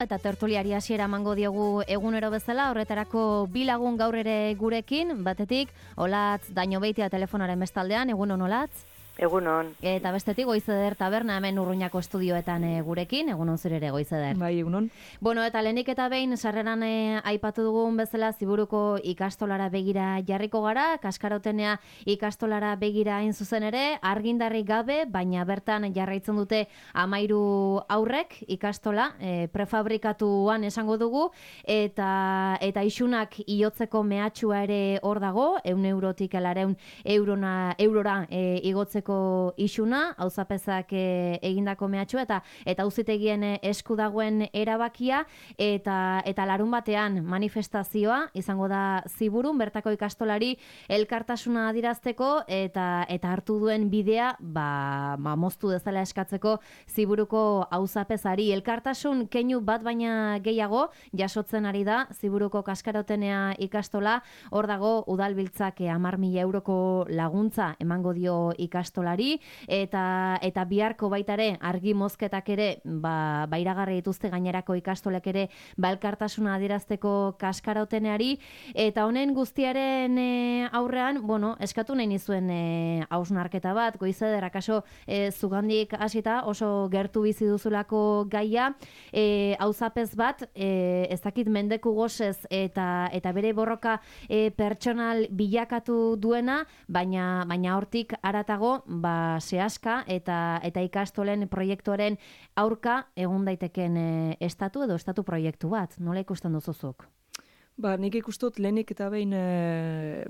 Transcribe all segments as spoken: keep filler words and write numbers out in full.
Eta tertuliari hasiera emango diogu egunero bezala, horretarako bi lagun gaur ere gurekin, batetik Olatz Dañobeitia telefonaren bestaldean, egunon Olatz. Egunon. Eta bestetik Goizeder taberna hemen Urruñako estudioetan e, gurekin, egunon zure ere Goizeder. Bai, egunon. Bueno, eta lehenik eta behin sarreran e, aipatu dugun bezala Ziburuko ikastolara begira jarriko gara, Kaskarotenea ikastolara begira hain zuzen ere, argindarrik gabe, baina bertan jarraitzen dute hamairu aurrek ikastola, e, prefabrikatuan esango dugu, eta eta isunak igotzeko mehatxua ere hor dago, ehun eurotik laurehun eurona eurora e, igotzeko isuna, auzapezak e, egindako mehatxua eta eta auzitegien esku dagoen erabakia eta eta larun batean manifestazioa izango da Ziburun bertako ikastolari elkartasuna adirazteko eta eta hartu duen bidea ba, ba moztu dezala eskatzeko Ziburuko auzapezari elkartasun keinu bat baina gehiago jasotzen ari da Ziburuko Kaskarotenea ikastola, hor dago udalbiltzak hamar mila euroko laguntza emango dio ikastolari eta eta biharko baita ere argi mozketak ere ba bairagarri dituzte gainerako ikastolek ere balkartasuna adierazteko Kaskaroteneari eta honen guztiaren e, aurrean, bueno, eskatu nahi nizuen e, hausnarketa bat, Goizeder akaso e, zugandik hasita oso gertu bizi duzulako gaia, e, auzapez bat e, ez dakit mendeku gozez eta eta bere borroka e, pertsonal bilakatu duena, baina baina hortik haratago ba sehaska eta eta ikastolen proiektuaren aurka egun daiteken e, estatu edo estatu proiektu bat. Nola ikusten duzuzuk? Ba, nik ikustot lehenik eta behin e,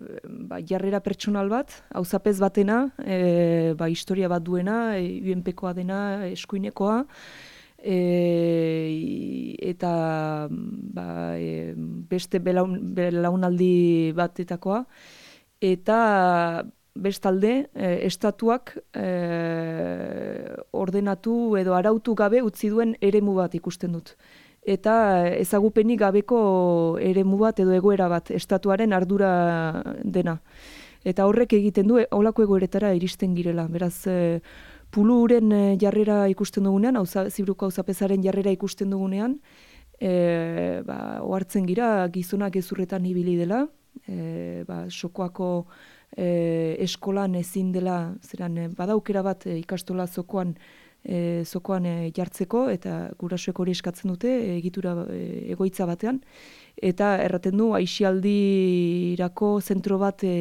ba, jarrera pertsonal bat, auzapez batena, e, ba, historia bat duena, e, U N P-koa dena, eskuinekoa, e, eta ba, e, beste belaun, belaunaldi batetakoa, eta bestalde, eh, estatuak eh, ordenatu edo arautu gabe utzi duen eremu bat ikusten dut. Eta ezagupenik gabeko eremu bat edo egoera bat, estatuaren ardura dena. Eta horrek egiten du, holako egoeretara iristen girela. Beraz, eh, puluren jarrera ikusten dugunean, auza, Ziburuko auzapezaren jarrera ikusten dugunean, eh, ba, ohartzen gira gizonak gezurretan ibili dela, eh, ba, Sokoako E, eskolan ezin dela, zeran e, badaukera bat e, ikastola zokoan e, zokoan e, jartzeko eta gurasoek hori eskatzen dute e, egitura e, egoitza batean eta erraten du aisialdirako zentro bat e,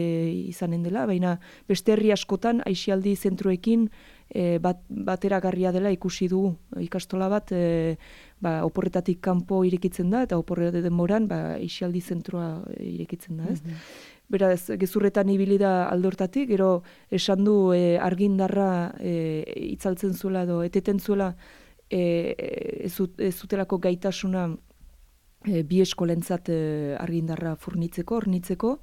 izanen dela, baina beste herri askotan aisialdi zentroekin e, bat, bateragarria dela ikusi dugu ikastola bat e, ba, oporretatik kanpo irekitzen da eta oporre denboran ba, aisialdi zentroa irekitzen da, ez? Mm-hmm. Beraz, gezurretan ibili da aldortatik, gero esan du e, argindarra e, itzaltzen zuela edo eteten zuela e, ez, ez zutelako gaitasuna e, bi eskolentzat e, argindarra furnitzeko, hornitzeko,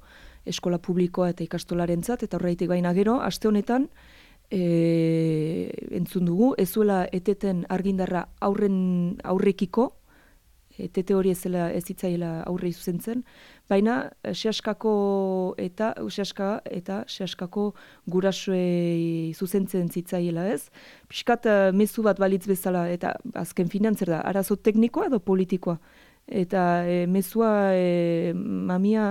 eskola publikoa eta ikastolarentzat, eta horreitik baina gero, aste honetan, e, entzun dugu, ez zuela eteten argindarra aurren aurrekiko, etete hori ez zela ez hitzaiela aurre zuzentzen, baina sehaskako eta sehaska eta sehaskako gurasoei zuzentzen zitzaiela, ez? Pixkat mezu bat balitz bezala eta azken finantzer da, arazo teknikoa edo politikoa. Eta e, mezua e, mamia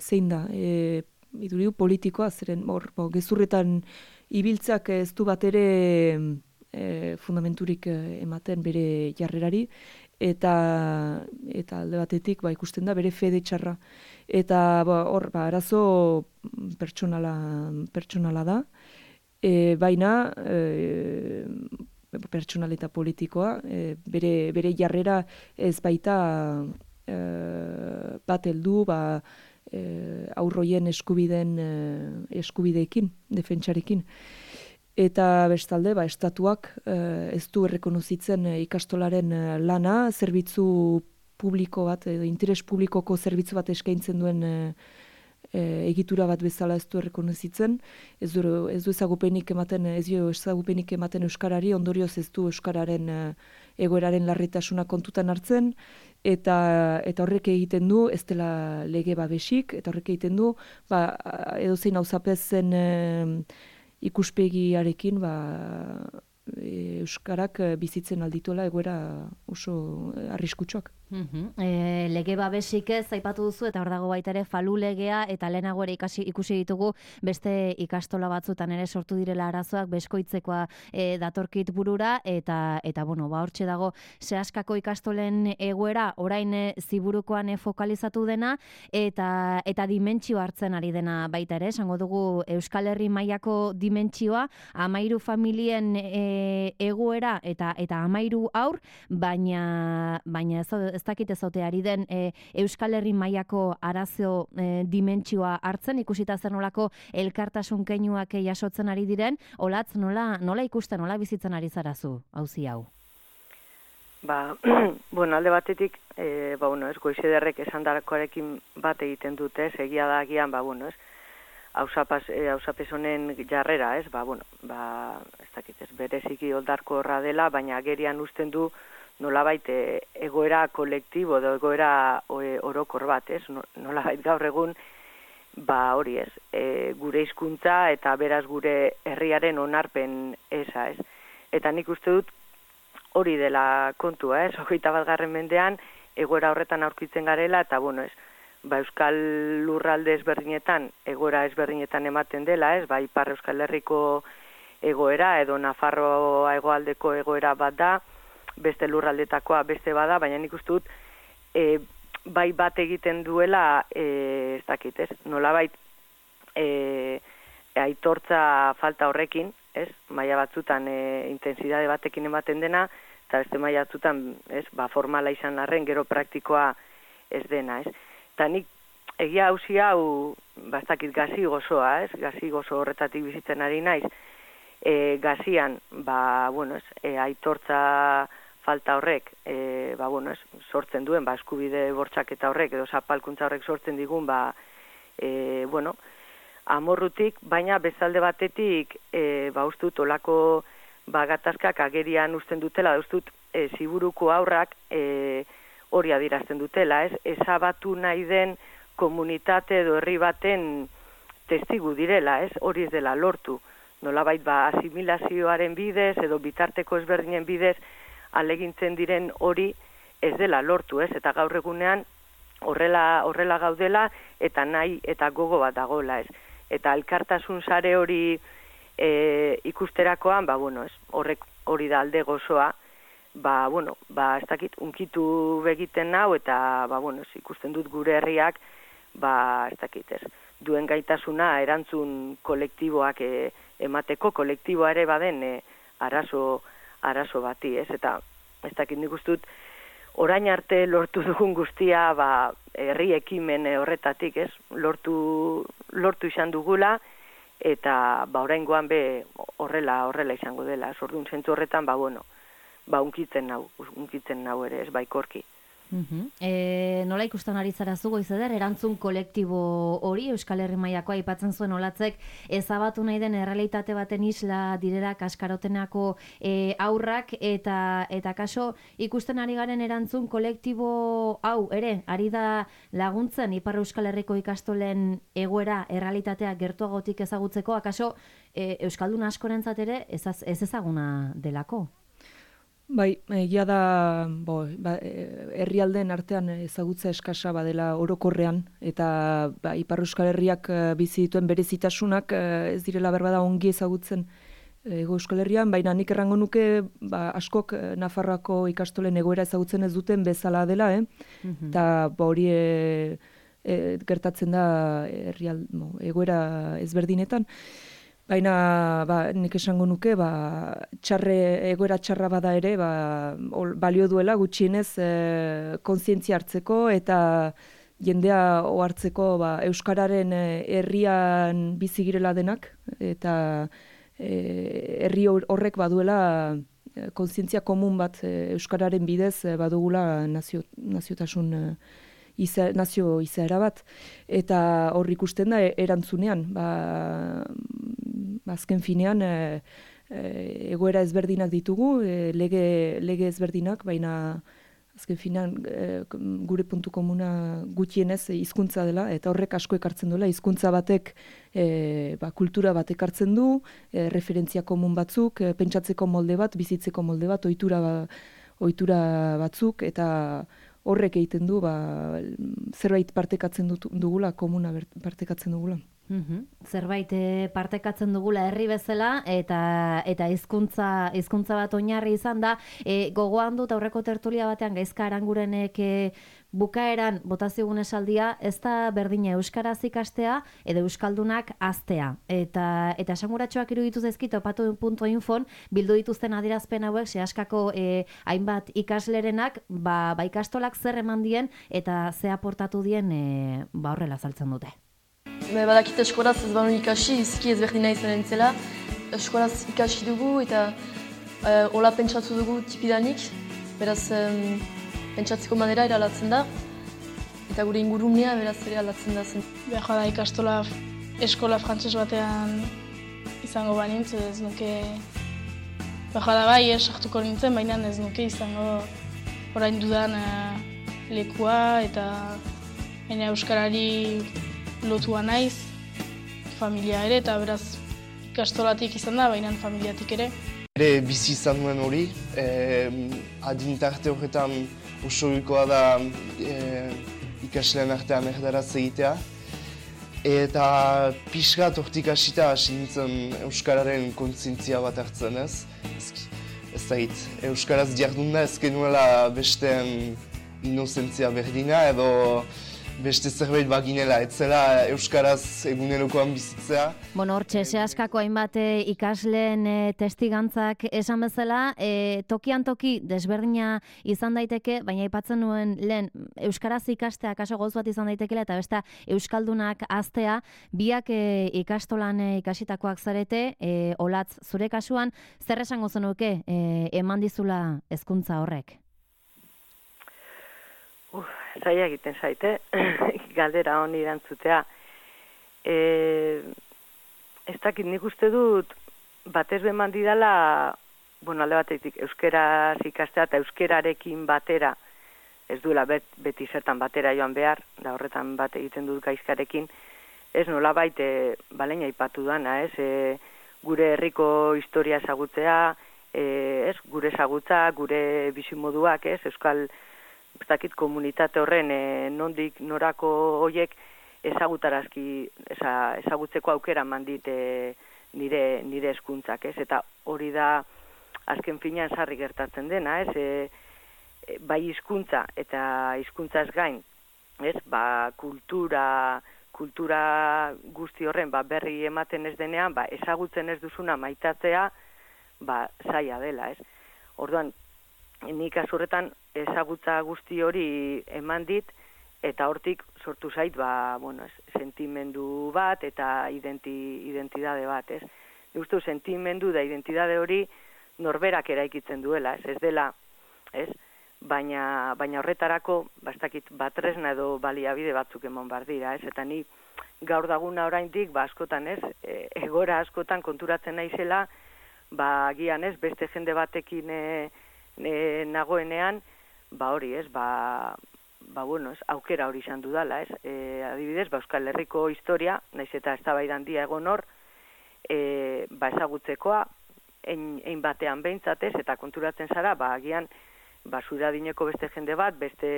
zein da, e, iduriu politikoa, zeren hor, bo, gezurretan ibiltzak ez du bat ere e, fundamenturik ematen bere jarrerari, eta eta alde batetik ba, ikusten da bere fede txarra. Eta ba, hor, ba, arazo pertsonala, pertsonala da, e, baina e, pertsonal eta politikoa, e, bere, bere jarrera ez baita e, bat heldu ba, e, aurroien eskubideen e, eskubideekin, defentsarekin. Eta bestalde, ba, estatuak eh, ez du errekonozitzen eh, ikastolaren eh, lana, zerbitzu publiko bat, edo interes publikoko zerbitzu bat eskaintzen duen eh, eh, egitura bat bezala ez du errekonozitzen, ez du, ez du ezagupenik ematen, ez du ezagupenik ematen euskarari, ondorioz ez du euskararen eh, egoeraren larritasuna kontutan hartzen, eta eta horrek egiten du ez dela lege babesik, eta horrek egiten du, ba, edozein auzapezen eh, ikuspegiarekin ba, euskarak bizitzen aldituela egoera oso arriskutsuak. Uhum. E, lege babesik ez aipatu duzu eta hor dago baita ere falu legea eta lehenago ere ikasi, ikusi ditugu beste ikastola batzutan ere sortu direla arazoak beskoitzekoa e, datorkit burura eta eta bueno ba hortxe dago Seaskako ikastolen egoera orain e, ziburukoan e, fokalizatu dena eta eta dimentsio hartzen ari dena baita ere esango dugu Euskal Herri mailako dimentsioa hamairu familien e, egoera eta eta hamairu haur baina baina ez ez dakit ezote ari den e, Euskal Herri mailako arazo e, dimentsioa hartzen, ikusita zer nolako elkartasun keinuak jasotzen ari diren, olatz nola, nola ikusten, nola bizitzen ari zarazu, auzi hau? Ba, bueno, alde batetik, e, ba, bueno, ez, Goizederrek esan darakoarekin bat egiten dute, egia da agian, ba, bueno, ez, hausapaz, e, hausapez honen jarrera, ez, ba, bueno, ba, ez dakit, ez, bereziki oldarko horra dela, baina agerian usten du, nolabait egoera kolektibo edo egoera orokor bat, ez? Nolabait gaur egun, ba hori ez, e, gure hizkuntza eta beraz gure herriaren onarpen eza, ez? Eta nik uste dut hori dela kontua, ez? Hogeita batgarren mendean egoera horretan aurkitzen garela eta bueno, ez? Ba Euskal lurralde ezberdinetan, egoera ezberdinetan ematen dela, ez? Ba Ipar Euskal Herriko egoera edo Nafarroa hegoaldeko egoera bat da, beste lurraldetakoa beste bada, baina nik uste dut e, bai bat egiten duela e, ez dakit, ez? Nolabait e, aitortza falta horrekin, ez? Maila batzutan e, intensidade batekin ematen dena, eta beste maila batzutan, ez? Ba, formala izan arren, gero praktikoa ez dena, ez? Eta nik egia hauzi hau, ba, ez dakit, gazi gozoa, ez? Gazi gozo horretatik bizitzen ari naiz, e, gazian, ba, bueno, ez? E, aitortza falta horrek, e, ba, bueno, ez, sortzen duen, ba, eskubide bortxaketa horrek, edo zapalkuntza horrek sortzen digun, ba, e, bueno, amorrutik, baina bezalde batetik, e, ba, ustut, olako, ba, gatazkak agerian usten dutela, da ustut, e, ziburuko aurrak e, hori adirazten dutela, ez, ezabatu nahi den komunitate edo herri baten testigu direla, ez, hori ez dela lortu, nolabait, ba, asimilazioaren bidez, edo bitarteko ezberdinen bidez, alegintzen diren hori ez dela lortu, ez? Eta gaur egunean horrela horrela gaudela eta nahi eta gogo bat dagoela, ez? Eta elkartasun sare hori e, ikusterakoan, ba bueno, ez? Horrek hori da alde gozoa, ba bueno, ba ez dakit unkitu begiten nau eta ba bueno, ez, ikusten dut gure herriak, ba ez dakit, ez? Duen gaitasuna erantzun kolektiboak e, emateko kolektiboa ere baden e, arazo arazo bati, ez? Eta ez dakit nik uste dut orain arte lortu dugun guztia, ba, herri ekimen horretatik, ez? Lortu lortu izan dugula eta ba oraingoan be horrela horrela izango dela. Orduan zentzu horretan, ba bueno, ba unkitzen nau, unkitzen nau ere, ez baikorki. Uh-huh. E, nola ikusten ari zarazu Goizeder, erantzun kolektibo hori Euskal Herri mailakoa aipatzen zuen olatzek ezabatu nahi den errealitate baten isla direla Kaskarotenako e, aurrak eta eta kaso ikusten ari garen erantzun kolektibo hau ere ari da laguntzen Ipar Euskal Herriko ikastolen egoera errealitatea gertuagotik ezagutzeko, akaso e, Euskaldun askorentzat ere ez, ez ezaguna delako? Bai, egia da, bo, ba, herrialdeen artean ezagutza eskasa badela orokorrean, eta ba, Ipar Euskal Herriak bizi dituen berezitasunak ez direla berbada ongi ezagutzen Hego Euskal Herrian, baina nik errango nuke ba, askok Nafarroako ikastolen egoera ezagutzen ez duten bezala dela, eh? Mm-hmm. Eta ba, hori e, e, gertatzen da herrial, bo, egoera ezberdinetan. Baina ba, nik esango nuke, ba, txarre, egoera txarra bada ere, ba, ol, balio duela gutxienez e, kontzientzia hartzeko eta jendea ohartzeko ba, Euskararen herrian bizi girela denak, eta e, herri horrek baduela kontzientzia komun bat e, Euskararen bidez e, badugula nazio, naziotasun e, Iza, nazio izaera bat, eta hor ikusten da erantzunean, ba, azken finean e, e, egoera ezberdinak ditugu, e, lege, lege ezberdinak, baina azken finan e, gure puntu komuna gutienez hizkuntza dela, eta horrek asko ekartzen duela, hizkuntza batek e, ba, kultura bat ekartzen du, e, referentzia komun batzuk, e, pentsatzeko molde bat, bizitzeko molde bat, ohitura ba, ohitura batzuk, eta horrek egiten du ba, zerbait partekatzen dut, dugula, komuna partekatzen dugula. Mm-hmm. Zerbait e, partekatzen dugula herri bezala eta eta hizkuntza hizkuntza bat oinarri izan da. E, gogoan dut aurreko tertulia batean Gaizka Arangurenek e, bukaeran botaziogun esaldia, ez da berdina euskaraz ikastea edo euskaldunak haztea. Eta eta esanguratsuak iruditu zaizkit opatu puntu infon bildu dituzten adierazpen hauek sehaskako e, hainbat ikaslerenak, ba, ba ikastolak zer eman dien eta ze aportatu dien e, ba horrela azaltzen dute. Badakit eskolaz ez banu ikasi, izki ezberdina izanen zela. Eskolaz ikasi dugu eta uh, hola pentsatu dugu tipidanik. Beraz, um, pentsatzeko manera eralatzen da. Eta gure ingurunea beraz ere alatzen da zen. Behar da ikastola eskola frantses batean izango banintz, ez nuke... Behar da bai, sartuko nintzen, baina ez nuke izango orain dudan uh, lekua eta baina euskarari lotua naiz, familia ere, eta beraz ikastolatik izan da, baina familiatik ere. Ere bizi izan nuen hori, eh, adin tarte horretan osoikoa da eh, ikasleen artean erdaraz egitea. Eta pixkat hortik hasita hasi nintzen euskararen kontzientzia bat hartzen ez. Ez da hit, euskaraz jardunda ez genuela besteen inozentzia berdina edo beste zerbait baginela, etzela euskaraz egunerokoan bizitzea. Bueno, hortxe, sehaskako hainbat ikasleen e, testigantzak esan bezala, e, tokian toki desberdina izan daiteke, baina aipatzen nuen lehen euskaraz ikastea kaso gauz bat izan daitekela eta beste euskaldunak haztea, biak e, ikastolan e, ikasitakoak zarete, e, Olatz, zure kasuan, zer esango zenuke e, eman dizula hezkuntza horrek? Uf, zaila egiten zaite, galdera honi erantzutea. E, ez dakit, nik uste dut, batez beman didala, bueno, alde batetik, euskeraz ikastea eta euskerarekin batera, ez duela bet, beti zertan batera joan behar, da horretan bat egiten dut gaizkarekin, ez nola baite, baleina ipatu dana, ez, e, gure herriko historia ezagutzea, e, ez, gure ezagutza, gure bizimoduak, ez, euskal ez dakit komunitate horren e, nondik norako hoiek ezagutarazki eza, ezagutzeko aukera mandit e, nire nire hezkuntzak, ez? Eta hori da azken finean sarri gertatzen dena, ez? E, e, bai hizkuntza eta hizkuntzaz gain, ez? Ba, kultura kultura guzti horren ba, berri ematen ez denean, ba, ezagutzen ez duzuna maitatzea, ba, zaila dela, ez? Orduan, nik azurretan ezagutza guzti hori eman dit, eta hortik sortu zait, ba, bueno, sentimendu bat eta identi, identidade bat, ez? Nik uste sentimendu da identidade hori norberak eraikitzen duela, ez? Ez dela, ez? Baina, baina horretarako, bastakit, batresna edo baliabide batzuk eman bar dira, ez? Eta ni gaur daguna oraindik, ba, askotan, ez? E, egora askotan konturatzen naizela, ba, agian, ez? Beste jende batekin e, E, nagoenean, ba hori, ez, ba, ba bueno, ez, aukera hori izan dudala, ez, e, adibidez, ba, Euskal Herriko historia, naiz eta eztabaidan dia egon hor, e, ba, ezagutzekoa, ein, ein batean behintzatez, eta konturatzen zara, ba, agian, ba, zure adineko beste jende bat, beste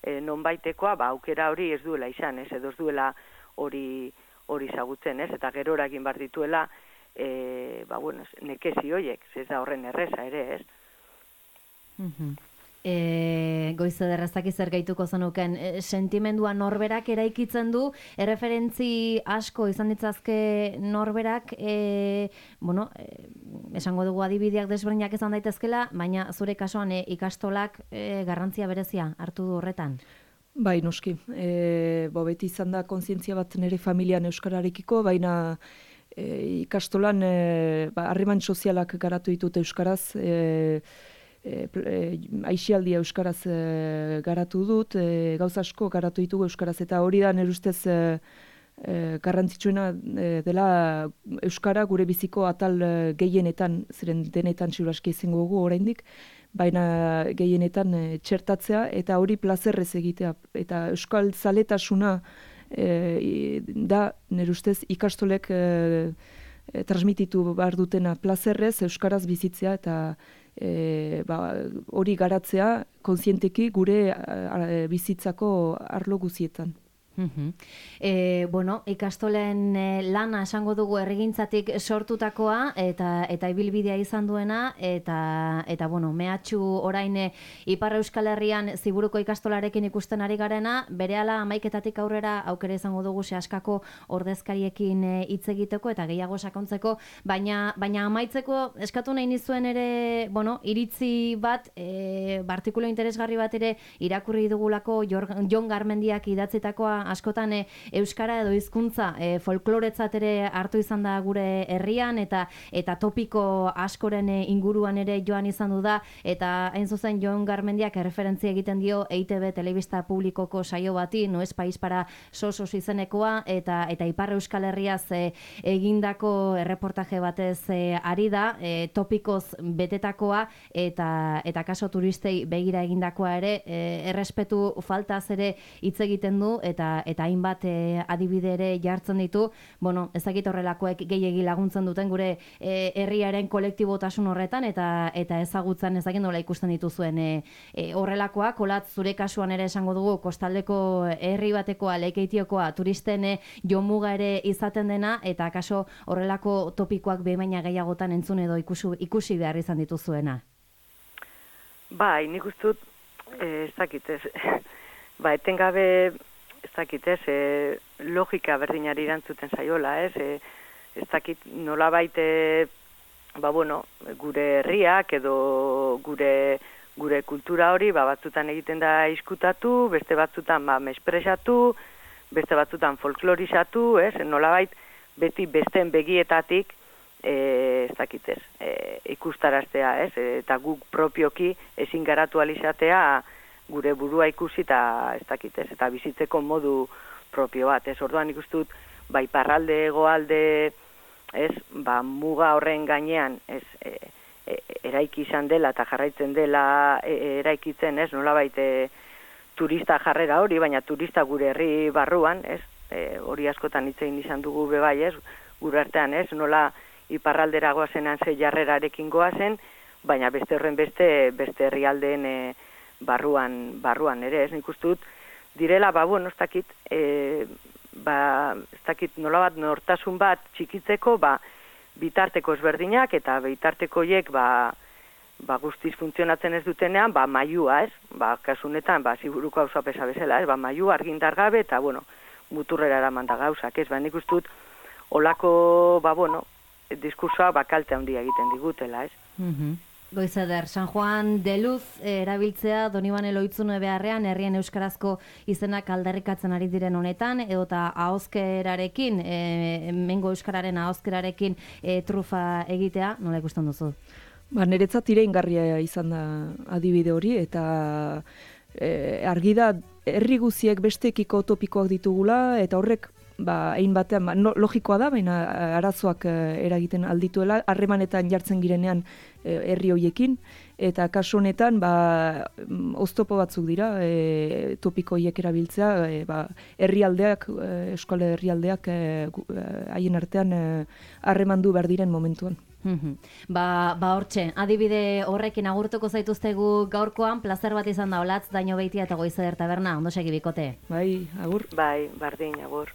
e, nonbaitekoa, ba, aukera hori ez duela izan, ez, edo ez duela hori hori ezagutzen, ez, eta gerora egin bar dituela, e, ba, bueno, nekezi hoiek, ez da horren erreza ere, ez. Mm-hmm. E, goize derrazak zer gehituko zenuken, e, sentimendua norberak eraikitzen du, erreferentzi asko izan ditzazke norberak, e, bueno, e, esango dugu adibideak desberdinak izan daitezkela, baina zure kasuan e, ikastolak e, garrantzia berezia hartu du horretan? Bai, noski. E, bo, beti izan da kontzientzia bat nire familian euskararekiko, baina e, ikastolan e, ba, harreman sozialak garatu ditut euskaraz, e, E, e, aixialdia euskaraz e, garatu dut, e, gauza asko garatu ditugu euskaraz, eta hori da nire ustez e, e, garrantzitsuena e, dela euskara gure biziko atal e, gehienetan, ziren denetan ziuraski izango dugu oraindik, baina gehienetan e, txertatzea eta hori plazerrez egitea. Eta euskal zaletasuna e, da, nire ustez, ikastolek e, e, transmititu behar dutena plazerrez, euskaraz bizitzea eta e, ba, hori garatzea kontzienteki gure a, a, bizitzako arlo guzietan. Uh-huh. E, bueno, ikastolen e, lana esango dugu errigintzatik sortutakoa eta eta ibilbidea izan duena eta eta bueno, mehatxu orain e, Ipar Euskal Herrian Ziburuko ikastolarekin ikusten ari garena, berehala hamaiketatik aurrera aukera izango dugu sehaskako ordezkariekin hitz e, egiteko eta gehiago sakontzeko, baina baina amaitzeko eskatu nahi nizuen ere, bueno, iritzi bat, e, artikulu interesgarri bat ere irakurri dugulako Jon Garmendiak idatzitakoa askotan e, euskara edo hizkuntza e, folkloretzat ere hartu izan da gure herrian eta eta topiko askoren e, inguruan ere joan izan du da eta hain zuzen Jon Garmendiak erreferentzia egiten dio E I Te Be telebista publikoko saio bati, No es país para sosos izenekoa eta eta Ipar Euskal Herriaz e, egindako erreportaje batez e, ari da, e, topikoz betetakoa eta eta kaso turistei begira egindakoa ere e, errespetu faltaz ere hitz egiten du eta eta hainbat e, adibide ere jartzen ditu. Bueno, ezagik horrelakoek gehiegi laguntzen duten gure e, herriaren kolektibotasun horretan eta eta ezagutzen ezagik nola ikusten dituzuen e, e, horrelakoak. Olat, zure kasuan ere esango dugu kostaldeko herri batekoa, Lekeitiokoa, turisten e, jomuga ere izaten dena eta kaso horrelako topikoak behin gehiagotan entzun edo ikusi, ikusi behar izan dituzuena. Bai, nik ustut eh, ez dakit ez. Ba, etengabe ez dakit ez, e, logika berdinari irantzuten zaiola, ez, e, ez dakit nolabait, e, ba, bueno, gure herriak edo gure, gure kultura hori, ba, batzutan egiten da iskutatu, beste batzutan, ba, mespresatu, beste batzutan folklorizatu, ez, nolabait, beti besteen begietatik, e, ez dakit ez, e, ikustaraztea, ez, eta guk propioki ezin garatu alizatea, gure burua ikusi eta ez dakit ez, eta bizitzeko modu propio bat, ez, orduan ikustut, bai parralde, goalde, ez, ba, muga horren gainean, ez, e, e, eraiki izan dela eta jarraitzen dela e, eraikitzen, ez, nolabait e, turista jarrera hori, baina turista gure herri barruan, ez, e, hori askotan hitz egin izan dugu bebai, ez, gure artean, ez, nola iparraldera goazenan ze jarrerarekin goazen, baina beste horren beste, beste herrialdeen e, barruan, barruan ere, ez nik uste dut, direla, ba, bueno, ez dakit, e, ba, ez dakit nola bat nortasun bat txikitzeko, ba, bitarteko ezberdinak, eta bitartekoiek, ba, ba, guztiz funtzionatzen ez dutenean, ba, maiua, ez, ba, kasunetan, ba, Ziburuko auzapeza bezala, ez, ba, maiua argindar gabe, eta, bueno, muturrera eraman da gauzak, ez, ba, nik uste dut, olako, ba, bueno, diskursoa, ba, kalte handia egiten digutela, ez. Mhm. Goizeder, San Juan de Luz erabiltzea Donibane Loitzune beharrean herrien euskarazko izenak aldarrikatzen ari diren honetan, edota ahozkerarekin, e, mengo euskararen ahozkerarekin e, trufa egitea, nola ikusten duzu? Ba, niretzat iraingarria izan da adibide hori, eta e, argi da herri guziek bestekiko topikoak ditugula, eta horrek ba, ein batean, ba, no, logikoa da, baina arazoak e, eragiten aldituela, harremanetan jartzen girenean e, herri hoiekin, eta kasu honetan, ba, oztopo batzuk dira, e, topiko hoiek erabiltzea, e, ba, herrialdeak, e, eskola herrialdeak haien e, artean harremandu behar diren momentuan. Ba, ba hortxe, adibide horrekin agurtuko zaituztegu gaurkoan, plazer bat izan da Olatz, Daño Beitia eta Goizeder Taberna, ondo segi bikote. Bai, agur. Bai, bardin, agur.